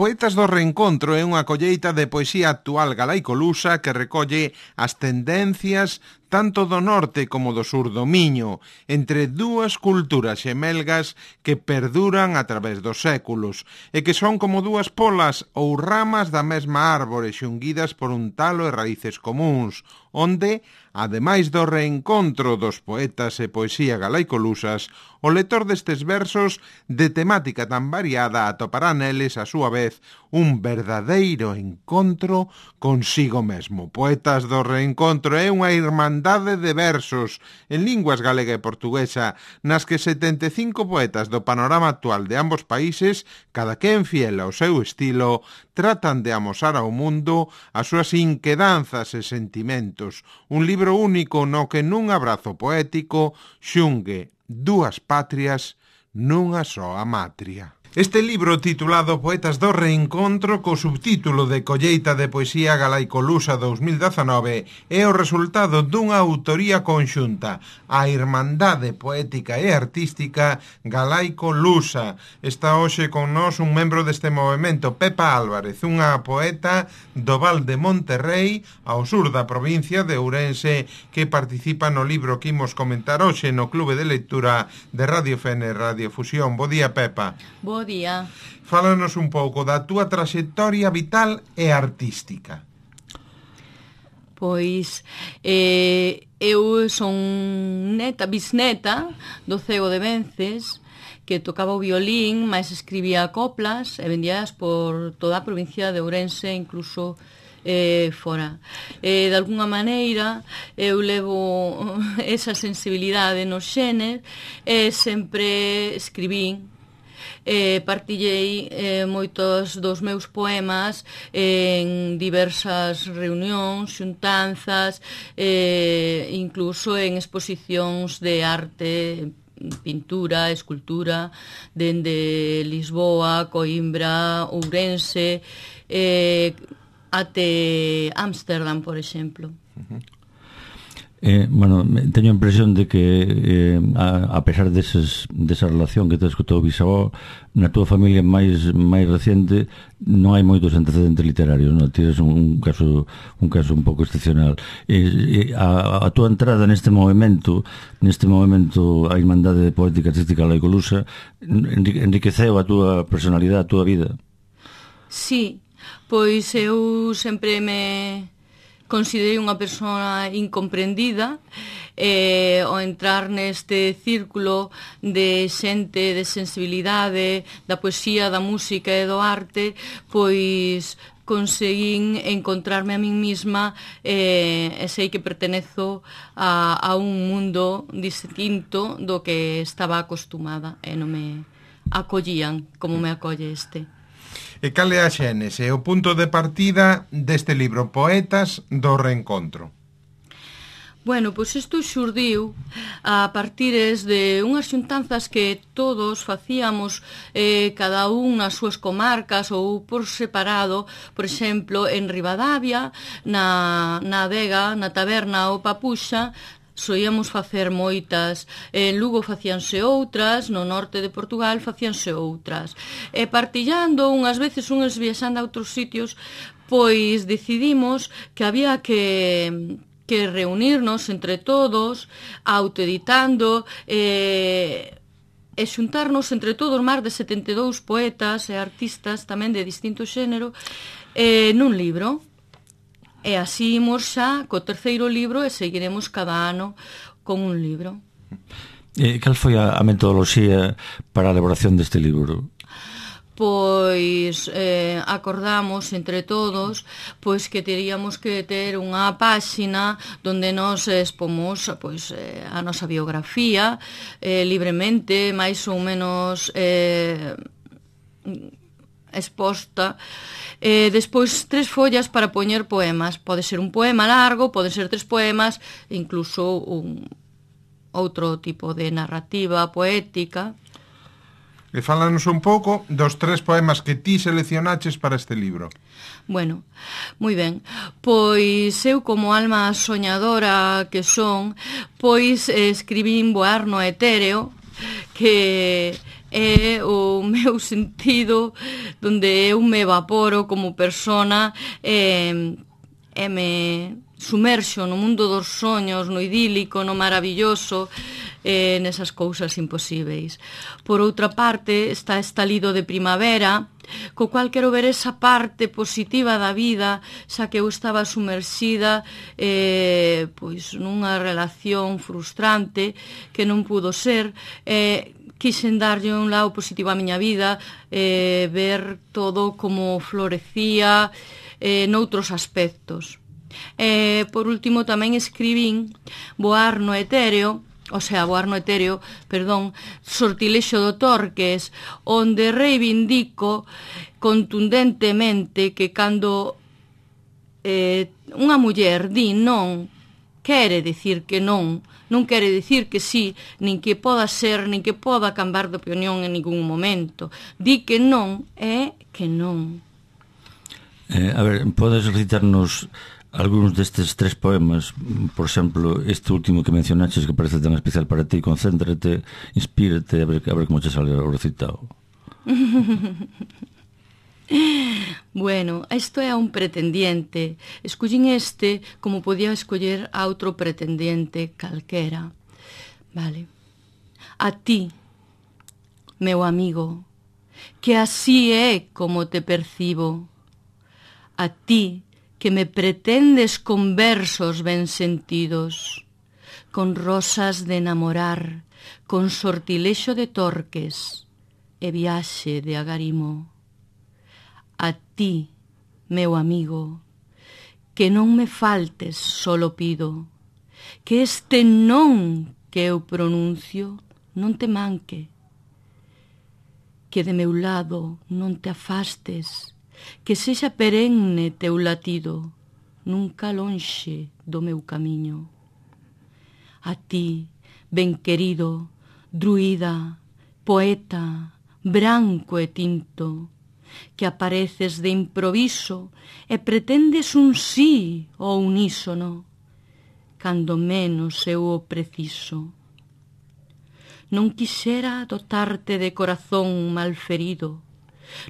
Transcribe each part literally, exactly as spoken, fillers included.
Poetas do Reencontro é unha colleita de poesía actual galaicolusa que recolle as tendencias tanto do norte como do sur do Miño, entre dúas culturas xemelgas que perduran a través dos séculos e que son como dúas polas ou ramas da mesma árbore xunguidas por un talo e raíces comuns, onde, ademais do reencontro dos poetas e poesía galaicolusas, o lector destes versos de temática tan variada atopará neles a súa vez un verdadeiro encontro consigo mesmo. Poetas do Reencontro é unha irmandade de versos en linguas galega e portuguesa nas que setenta e cinco poetas do panorama actual de ambos países, cada quen fiel ao seu estilo, tratan de amosar ao mundo as súas inquedanzas e sentimentos. Un libro único no que nun abrazo poético xungue dúas patrias nunha soa matria. Este libro titulado Poetas do Reencontro co subtítulo de Colleita de Poesía Galaicolusa dous mil dezanove é o resultado dunha autoría conxunta, a Irmandade Poética e Artística Galaicolusa. Está hoxe con nós un membro deste movimento, Pepa Álvarez, unha poeta do Val de Monterrey, ao sur da provincia de Ourense, que participa no libro que imos comentar hoxe no Clube de Lectura de Radio F N Radio Fusión. Bo día, Pepa. Bo día. Fálanos un pouco da túa traxectoria vital e artística. Pois eh, eu son neta, bisneta do Cego de Vences, que tocaba o violín, mais escribía coplas e vendías por toda a provincia de Ourense, incluso eh, fora. Eh, de alguna maneira eu levo esa sensibilidade nos xenes e sempre escribín. Eh, partillei eh, moitos dos meus poemas en diversas reunións, xuntanzas, eh, incluso en exposicións de arte, pintura, escultura, dende Lisboa, Coimbra, Ourense, eh, até Ámsterdam, por exemplo. Uh-huh. Eh, bueno, teño a impresión de que eh, a, a pesar deses, desa relación que tes co teu bisavó, na túa familia máis máis recente non hai moitos antecedentes literarios, non? Tires un, un caso un caso un pouco excepcional. Eh, eh, a, a túa entrada neste movimento, neste movimento a Irmandade Poética Artística Galaicolusa, enriqueceu a túa personalidade, a túa vida? Sí, pois eu sempre me considerei unha persona incomprendida e ao entrar neste círculo de xente de sensibilidade, da poesía, da música e do arte, pois conseguín encontrarme a min mesma e, e sei que pertenezo a, a un mundo distinto do que estaba acostumada e non me acollían como me acolle este. E cal é a xénese, o punto de partida deste libro, Poetas do Reencontro? Bueno, pois isto xurdiu a partires de unhas xuntanzas que todos facíamos, eh, cada un nas súas comarcas ou por separado, por exemplo, en Ribadavia, na, na adega, na taberna ou Papuxa, soíamos facer moitas, en Lugo facíanse outras, no norte de Portugal facíanse outras. E partillando, unhas veces unhas viaxando a outros sitios, pois decidimos que había que que reunirnos entre todos, autoeditando e e xuntarnos entre todos máis de setenta e dous poetas e artistas tamén de distinto xénero eh, nun libro. E así imos xa co terceiro libro e seguiremos cada ano con un libro. E cal foi a, a metodoloxía para a elaboración deste libro? Pois eh, acordamos entre todos pois que teríamos que ter unha páxina onde nos expomos pois, eh, a nosa biografía eh, libremente, máis ou menos eh, exposta. Eh, despois tres follas para poñer poemas. Pode ser un poema largo, pode ser tres poemas, incluso un outro tipo de narrativa poética. E fálanos un pouco dos tres poemas que ti seleccionaches para este libro. Bueno, moi ben. Pois eu, como alma soñadora que son, pois eh, escribín Voar no etéreo, que é o meu sentido donde eu me evaporo como persona e, e me sumerxo no mundo dos soños, no idílico, no maravilloso, eh, nesas cousas imposíveis. Por outra parte, está esta lido de primavera, co cual quero ver esa parte positiva da vida, xa que eu estaba sumerxida eh, pois nunha relación frustrante que non pudo ser, eh, quixen darlle un lado positivo á miña vida, eh, ver todo como florecía eh, noutros aspectos. Eh, por último, tamén escribín Voar no etéreo, o sea, Voar no etéreo, perdón, Sortilexo do Torques, onde reivindico contundentemente que cando eh, unha muller di non, quere dicir que non, non quere dicir que sí, nin que poda ser, nin que poda cambiar de opinión en ningún momento. Di que non é que non. Eh, a ver, podes recitarnos algúns destes tres poemas, por exemplo, este último que mencionaches que parece tan especial para ti, concéntrate, inspírate, a ver, a ver como te sale o recitado. Bueno, isto é un pretendiente. Escollín este como podía escoller a outro pretendiente calquera. Vale. A ti, meu amigo, que así é como te percibo. A ti, que me pretendes con versos ben sentidos, con rosas de enamorar, con sortilexo de Torques e viaxe de agarimo. A ti, meu amigo, que non me faltes, solo pido, que este non que eu pronuncio non te manque, que de meu lado non te afastes, que sexa perenne teu latido, nunca lonxe do meu camiño. A ti, ben querido, druida, poeta, branco e tinto, que apareces de improviso e pretendes un sí ou unísono, cando menos eu o preciso. Non quixera dotarte de corazón malferido,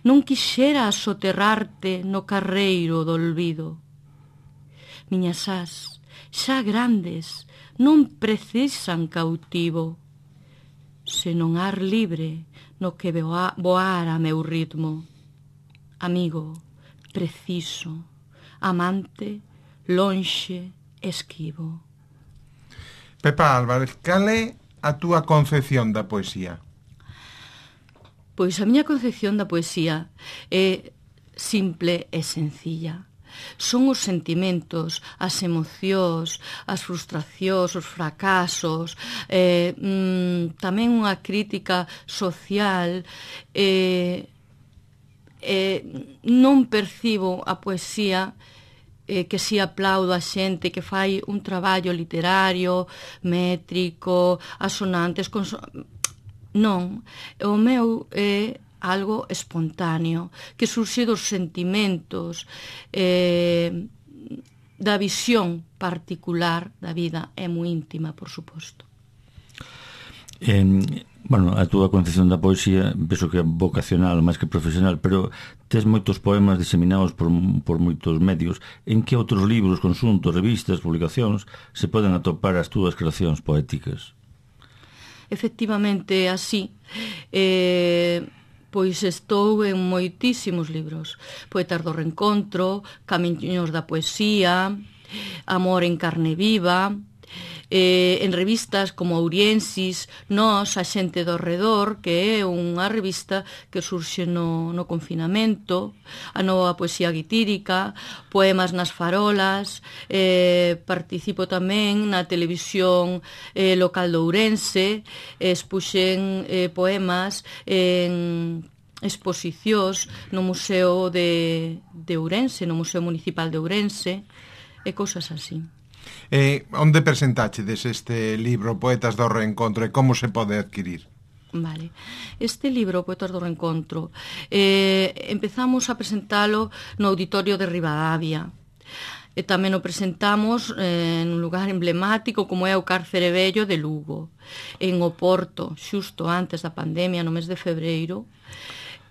non quixera soterrarte no carreiro do olvido. Miñas ás, xa grandes, non precisan cautivo, senón ar libre no que voar a meu ritmo. Amigo, preciso, amante, lonxe, esquivo. Pepa Álvarez, cal é a túa concepción da poesía? Pois a miña concepción da poesía é simple e sencilla. Son os sentimentos, as emocións, as frustracións, os fracasos, eh, mm, tamén unha crítica social. Eh, eh, non percibo a poesía eh, que si aplaudo a xente que fai un traballo literario, métrico, asonantes, consonantes. Non, o meu é algo espontáneo, que surxe dos sentimentos, eh, da visión particular da vida, é moi íntima, por suposto. Eh, bueno, a túa concepción da poesía penso que é vocacional máis que profesional, pero tes moitos poemas diseminados por, por moitos medios. En que outros libros, consuntos, revistas, publicacións se poden atopar as túas creacións poéticas? Efectivamente, así, eh, pois estou en moitísimos libros. Poetas do Reencontro, Camiños da Poesía, Amor en carne viva, eh, en revistas como Auriensis, Nós, A xente do redor, que é unha revista que surxe no, no confinamento, A nova poesía guitírica, Poemas nas farolas, eh, participo tamén na televisión eh, local de Ourense, expuxen eh, poemas en exposicións no Museo de, de Ourense, no Museo Municipal de Ourense, e cousas así. Eh, onde presentachedes este libro Poetas do Reencontro e como se pode adquirir? Vale. Este libro, Poetas do Reencontro, eh, empezamos a presentalo no Auditorio de Ribadavia. E tamén o presentamos eh, en un lugar emblemático como é o Cárcere Vello de Lugo, en Oporto, xusto antes da pandemia, no mes de febreiro.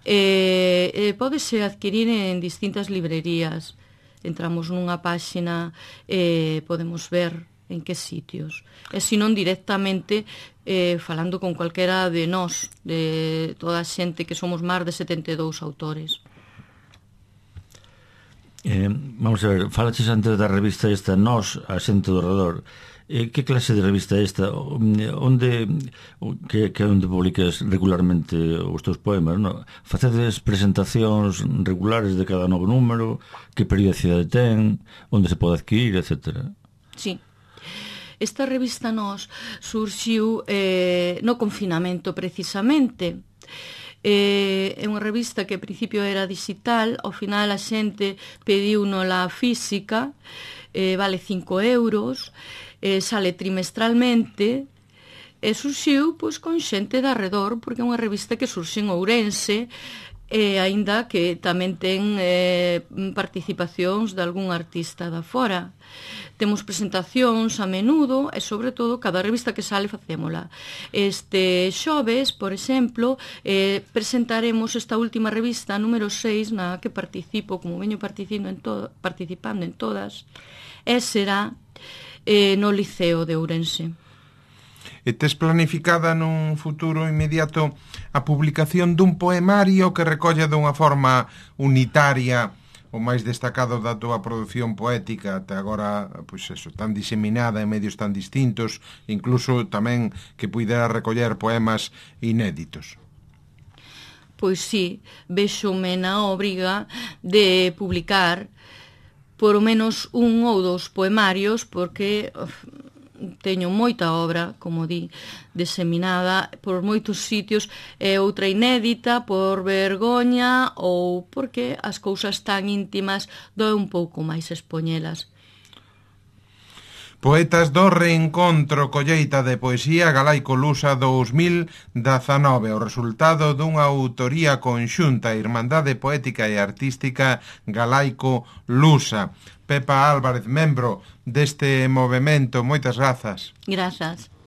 E, e pódese adquirir en distintas librerías. Entramos nunha páxina e podemos ver en que sitios. E se non directamente eh, falando con calquera de nós, de toda a xente que somos máis de setenta e dous autores. Eh, vamos a ver, falaches antes da revista esta Nós, a xente do redor. Eh, que clase de revista é esta? Onde que, que onde publicas regularmente os teus poemas, no? Facedes presentacións regulares de cada novo número? Que periodicidade ten? Onde se pode adquirir, etcétera? Sí. Esta revista Nós surxiu eh, no confinamento precisamente. Eh, é unha revista que ao principio era digital, ao final a xente pediu nola física, eh, vale cinco euros, eh, sale trimestralmente e surxiu pois, con xente de arredor, porque é unha revista que surxe en Ourense, e aínda que tamén ten eh, participacións de algún artista da fora. Temos presentacións a menudo e, sobre todo, cada revista que sale facémola. Este xoves, por exemplo, eh, presentaremos esta última revista, número seis, na que participo, como veño participando en, to participando en todas, e será eh, no Liceo de Ourense. E tes planificada nun futuro inmediato a publicación dun poemario que recolla dunha forma unitaria o máis destacado da túa produción poética até agora, pois eso, tan diseminada en medios tan distintos, incluso tamén que puidera recoller poemas inéditos? Pois sí, véxome na obriga de publicar por o menos un ou dous poemarios, porque uf, teño moita obra, como di, diseminada por moitos sitios, e outra inédita por vergoña ou porque as cousas tan íntimas doe un pouco máis expoñelas. Poetas do Reencontro, colleita de poesía galaico-lusa dous mil dezanove, o resultado dunha autoría conxunta, Irmandade Poética e Artística Galaico-Lusa. Pepa Álvarez, membro deste movemento, moitas grazas. Grazas.